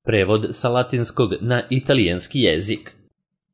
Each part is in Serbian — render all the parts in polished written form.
Prevod sa latinskog na italijanski jezik.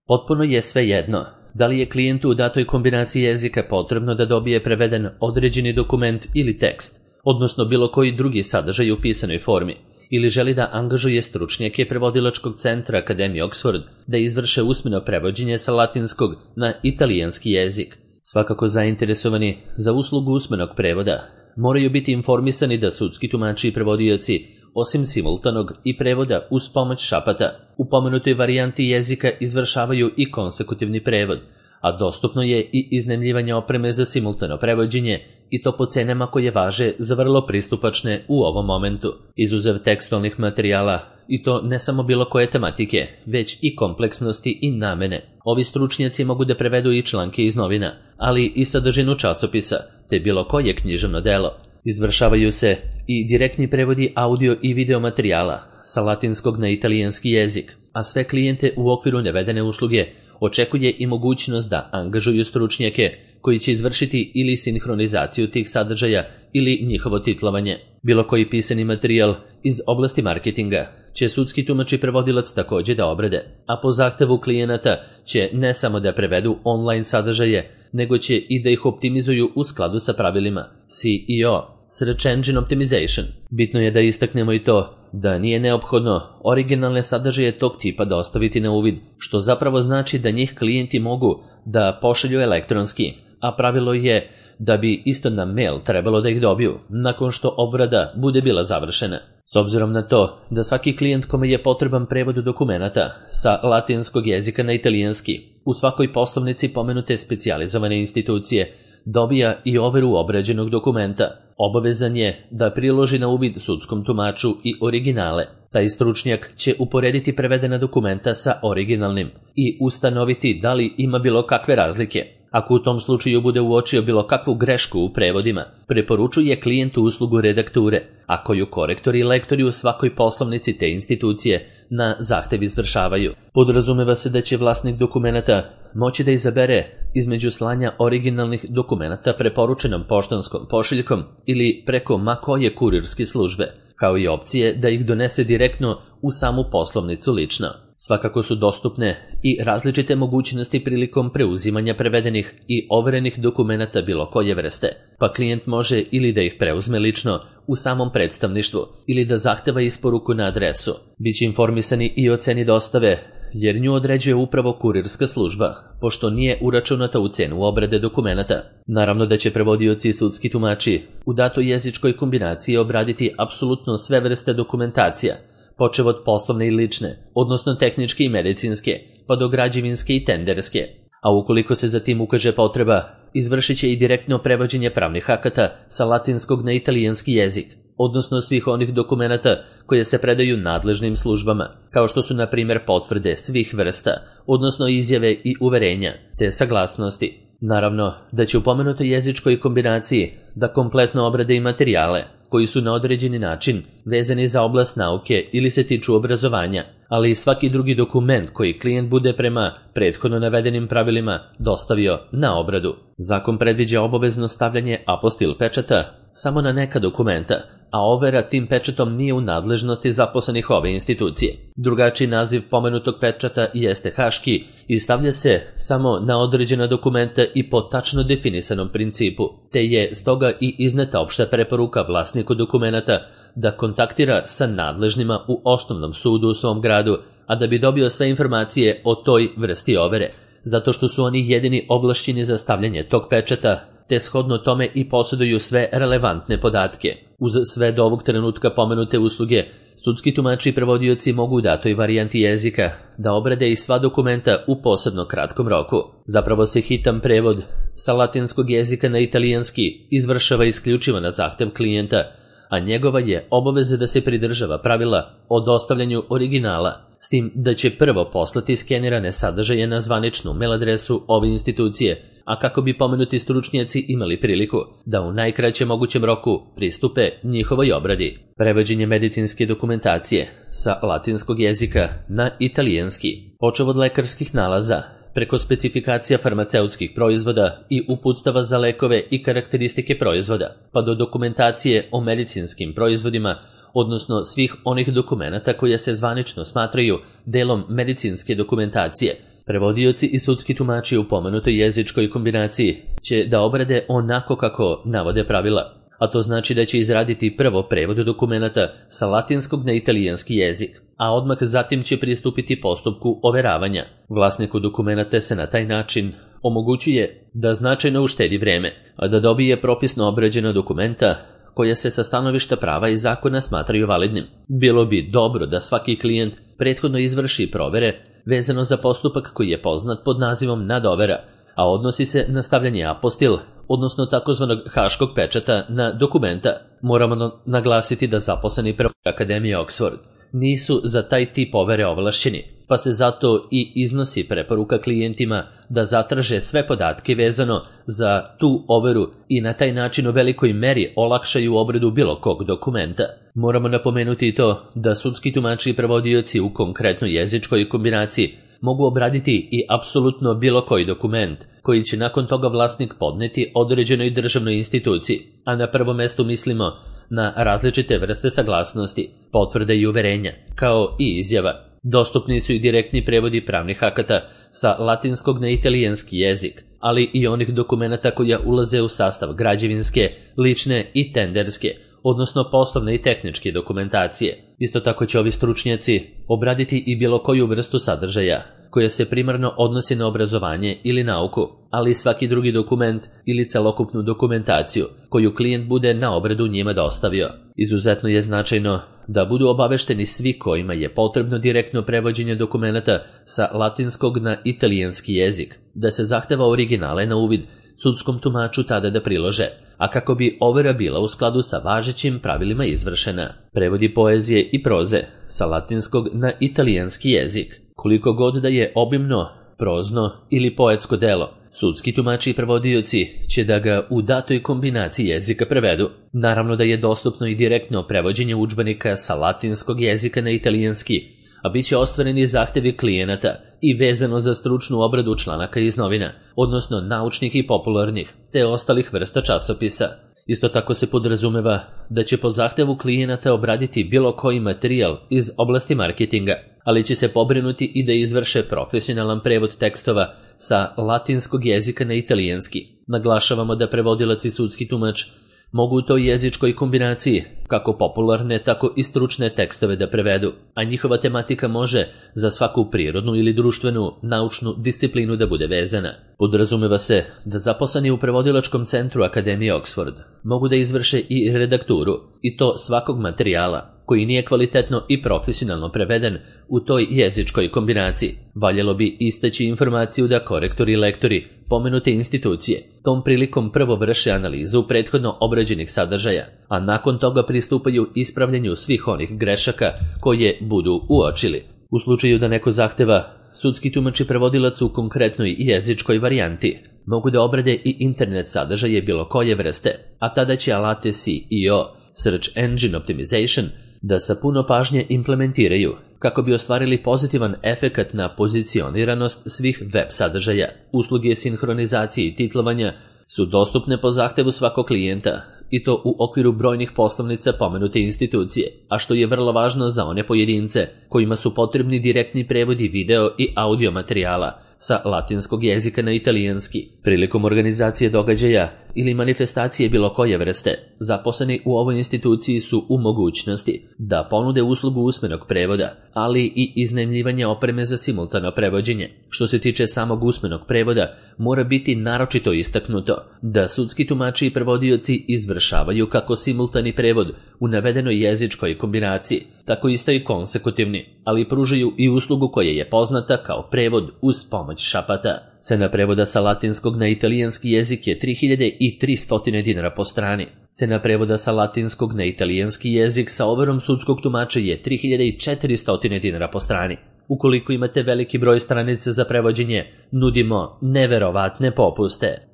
Potpuno je svejedno da li je klijentu u datoj kombinaciji jezika potrebno da dobije preveden određeni dokument ili tekst, odnosno bilo koji drugi sadržaj u pisanoj formi, ili želi da angažuje stručnjake prevodilačkog centra Akademije Oxford da izvrše usmeno prevođenje sa latinskog na italijanski jezik. Svakako zainteresovani za uslugu usmenog prevoda moraju biti informisani da sudski tumači i prevodioci, osim simultanog i prevoda uz pomoć šapata, u pomenutoj varijanti jezika izvršavaju i konsekutivni prevod, a dostupno je i iznajmljivanje opreme za simultano prevođenje i to po cenama koje važe za vrlo pristupačne u ovom momentu. Izuzev tekstualnih materijala, i to ne samo bilo koje tematike, već i kompleksnosti i namene. Ovi stručnjaci mogu da prevedu i članke iz novina, ali i sadržinu časopisa, te bilo koje književno delo. Izvršavaju se i direktni prevodi audio i video materijala sa latinskog na italijanski jezik, a sve klijente u okviru navedene usluge očekuje i mogućnost da angažuju stručnjake koji će izvršiti ili sinhronizaciju tih sadržaja ili njihovo titlovanje. Bilo koji pisani materijal iz oblasti marketinga će sudski tumač i prevodilac također da obrade, a po zahtevu klijenata će ne samo da prevedu online sadržaje, nego će i da ih optimizuju u skladu sa pravilima SEO, Search Engine Optimization. Bitno je da istaknemo i to da nije neophodno originalne sadržaje tog tipa dostaviti na uvid, što zapravo znači da njih klijenti mogu da pošalju elektronski, a pravilo je da bi isto na mail trebalo da ih dobiju nakon što obrada bude bila završena. S obzirom na to da svaki klijent kome je potreban prevod dokumenata sa latinskog jezika na italijanski u svakoj poslovnici pomenute specijalizovane institucije dobija i overu obrađenog dokumenta, obavezan je da priloži na uvid sudskom tumaču i originale. Taj stručnjak će uporediti prevedena dokumenta sa originalnim i ustanoviti da li ima bilo kakve razlike. Ako u tom slučaju bude uočio bilo kakvu grešku u prevodima, preporučuje klijentu uslugu redakture, a koju korektori i lektori u svakoj poslovnici te institucije na zahtev izvršavaju. Podrazumeva se da će vlasnik dokumenata moći da izabere između slanja originalnih dokumenata preporučenom poštanskom pošiljkom ili preko ma koje kurirske službe, kao i opcije da ih donese direktno u samu poslovnicu lično. Svakako su dostupne i različite mogućnosti prilikom preuzimanja prevedenih i overenih dokumenata bilo koje vrste, pa klijent može ili da ih preuzme lično u samom predstavništvu ili da zahteva isporuku na adresu. Biće informisani i o ceni dostave, jer nju određuje upravo kurirska služba, pošto nije uračunata u cenu obrade dokumenata. Naravno da će prevodioci i sudski tumači u datoj jezičkoj kombinaciji obraditi apsolutno sve vrste dokumentacija, počev od poslovne i lične, odnosno tehničke i medicinske, pa do građevinske i tenderske. A ukoliko se za tim ukaže potreba, izvršit će i direktno prevođenje pravnih akata sa latinskog na italijanski jezik, odnosno svih onih dokumenata koje se predaju nadležnim službama, kao što su na primjer potvrde svih vrsta, odnosno izjave i uverenja, te saglasnosti. Naravno da će u pomenutoj jezičkoj kombinaciji da kompletno obrade i materijale koji su na određeni način vezani za oblast nauke ili se tiču obrazovanja, ali i svaki drugi dokument koji klijent bude prema prethodno navedenim pravilima dostavio na obradu. Zakon predviđa obavezno stavljanje apostil pečata samo na neka dokumenta, a overa tim pečatom nije u nadležnosti zaposlenih ove institucije. Drugačiji naziv pomenutog pečata jeste haški i stavlja se samo na određena dokumenta i po tačno definisanom principu, te je stoga i izneta opšta preporuka vlasniku dokumenata da kontaktira sa nadležnima u osnovnom sudu u svom gradu, a da bi dobio sve informacije o toj vrsti overe, zato što su oni jedini ovlašćeni za stavljanje tog pečata, te shodno tome i posjeduju sve relevantne podatke. Uz sve do ovog trenutka pomenute usluge, sudski tumači i prevodioci mogu u datoj varijanti jezika da obrade i sva dokumenta u posebno kratkom roku. Zapravo se hitan prevod sa latinskog jezika na italijanski izvršava isključivo na zahtev klijenta, a njegova je obaveza da se pridržava pravila o dostavljanju originala, s tim da će prvo poslati skenirane sadržaje na zvaničnu mail adresu ove institucije, a kako bi pomenuti stručnjaci imali priliku da u najkraćem mogućem roku pristupe njihovoj obradi. Prevođenje medicinske dokumentacije sa latinskog jezika na italijanski, počev od lekarskih nalaza, preko specifikacija farmaceutskih proizvoda i uputstava za lekove i karakteristike proizvoda, pa do dokumentacije o medicinskim proizvodima, odnosno svih onih dokumenata koje se zvanično smatraju delom medicinske dokumentacije. Prevodioci i sudski tumači u pomenutoj jezičkoj kombinaciji će da obrade onako kako navode pravila, a to znači da će izraditi prvo prevod dokumenata sa latinskog na italijanski jezik, a odmah zatim će pristupiti postupku overavanja. Vlasniku dokumenata se na taj način omogućuje da značajno uštedi vreme, a da dobije propisno obrađena dokumenta koja se sa stanovišta prava i zakona smatraju validnim. Bilo bi dobro da svaki klijent prethodno izvrši provere vezano za postupak koji je poznat pod nazivom nadovera, a odnosi se na stavljanje apostil, odnosno takozvanog haškog pečata na dokumenta. Moramo naglasiti da zaposleni prvo Akademije Oxford nisu za taj tip overe ovlašćeni, pa se zato i iznosi preporuka klijentima da zatraže sve podatke vezano za tu overu i na taj način u velikoj meri olakšaju obradu bilo kog dokumenta. Moramo napomenuti i to da sudski tumači i prevodioci u konkretnoj jezičkoj kombinaciji mogu obraditi i apsolutno bilo koji dokument koji će nakon toga vlasnik podneti određenoj državnoj instituciji, a na prvo mesto mislimo na različite vrste saglasnosti, potvrde i uverenja, kao i izjava. Dostupni su i direktni prevodi pravnih akata sa latinskog na italijanski jezik, ali i onih dokumenata koja ulaze u sastav građevinske, lične i tenderske, odnosno poslovne i tehničke dokumentacije. Isto tako će ovi stručnjaci obraditi i bilo koju vrstu sadržaja koja se primarno odnosi na obrazovanje ili nauku, ali i svaki drugi dokument ili celokupnu dokumentaciju koju klijent bude na obradu njima dostavio. Izuzetno je značajno da budu obavešteni svi kojima je potrebno direktno prevođenje dokumenata sa latinskog na italijanski jezik, da se zahteva originale na uvid sudskom tumaču tada da prilože, a kako bi overa bila u skladu sa važećim pravilima izvršena. Prevodi poezije i proze sa latinskog na italijanski jezik, koliko god da je obimno, prozno ili poetsko delo, sudski tumači i prevodioci će da ga u datoj kombinaciji jezika prevedu. Naravno da je dostupno i direktno prevođenje udžbenika sa latinskog jezika na italijanski, a bit će ostvareni zahtevi klijenata i vezano za stručnu obradu članaka iz novina, odnosno naučnih i popularnih, te ostalih vrsta časopisa. Isto tako se podrazumeva da će po zahtevu klijenata obraditi bilo koji materijal iz oblasti marketinga, ali će se pobrinuti i da izvrše profesionalan prevod tekstova sa latinskog jezika na italijanski. Naglašavamo da prevodilac i sudski tumač mogu u toj jezičkoj kombinaciji kako popularne, tako i stručne tekstove da prevedu, a njihova tematika može za svaku prirodnu ili društvenu, naučnu disciplinu da bude vezana. Podrazumeva se da zaposleni u prevodilačkom centru Akademije Oxford mogu da izvrše i redakturu, i to svakog materijala koji nije kvalitetno i profesionalno preveden u toj jezičkoj kombinaciji. Valjalo bi istaći informaciju da korektori i lektori pomenute institucije tom prilikom prvo vrše analizu prethodno obrađenih sadržaja, a nakon toga pristupaju ispravljanju svih onih grešaka koje budu uočili. U slučaju da neko zahteva, sudski tumač i prevodilac u konkretnoj jezičkoj varijanti mogu da obrade i internet sadržaje bilo koje vrste, a tada će alate SEO, Search Engine Optimization, da sa puno pažnje implementiraju kako bi ostvarili pozitivan efekat na pozicioniranost svih web sadržaja. Usluge sinhronizacije i titlovanja su dostupne po zahtevu svakog klijenta, i to u okviru brojnih poslovnica pomenute institucije, a što je vrlo važno za one pojedince kojima su potrebni direktni prevodi video i audio materijala sa latinskog jezika na italijanski. Prilikom organizacije događaja ili manifestacije bilo koje vrste, zaposleni u ovoj instituciji su u mogućnosti da ponude uslugu usmenog prevoda, ali i iznajmljivanja opreme za simultano prevođenje. Što se tiče samog usmenog prevoda, mora biti naročito istaknuto da sudski tumači i prevodioci izvršavaju kako simultani prevod u navedenoj jezičkoj kombinaciji, tako isto i konsekutivni, ali pružaju i uslugu koja je poznata kao prevod uz pomoć šapata. Cena prevoda sa latinskog na italijanski jezik je 3300 dinara po strani. Cena prevoda sa latinskog na italijanski jezik sa overom sudskog tumača je 3400 dinara po strani. Ukoliko imate veliki broj stranica za prevođenje, nudimo neverovatne popuste.